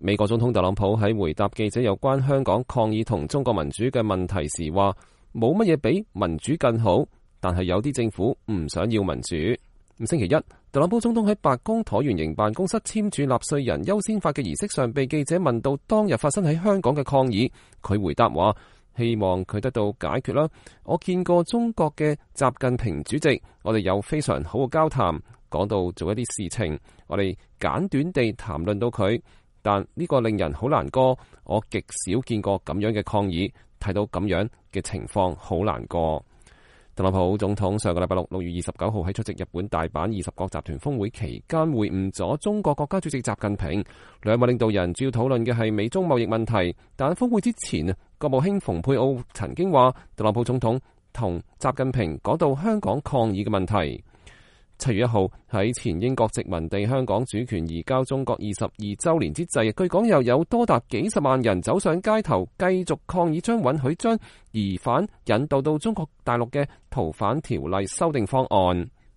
美國總統特朗普喺回答記者有關香港抗議同中國民主嘅問題時話：冇乜嘢比民主更好，但係有啲政府唔想要民主。星期一，特朗普總統喺白宮橢圓形辦公室簽署納稅人優先法嘅儀式上，被記者問到當日發生喺香港嘅抗議，佢回答話：希望佢得到解決啦。我見過中國嘅習近平主席，我哋有非常好嘅交談，講到做一啲事情，我哋簡短地談論到佢。但呢個令人好難過，我極少見過咁樣嘅抗議，睇到咁樣嘅情況好難過。特朗普總統上個禮拜6月29號喺出席日本大阪20國集團峰會期間會晤咗中國國家主席習近平，兩位領導人主要討論嘅係美中貿易問題。但峰會之前，國務卿蓬佩奧曾經話特朗普總統同習近平講到香港抗議嘅問題。7月1號喺前英國殖民地香港主權移交中國22週年之際，據講又有多達幾十萬人走上街頭，繼續抗議將允許將疑犯引渡到中國大陸嘅逃犯條例修訂方案。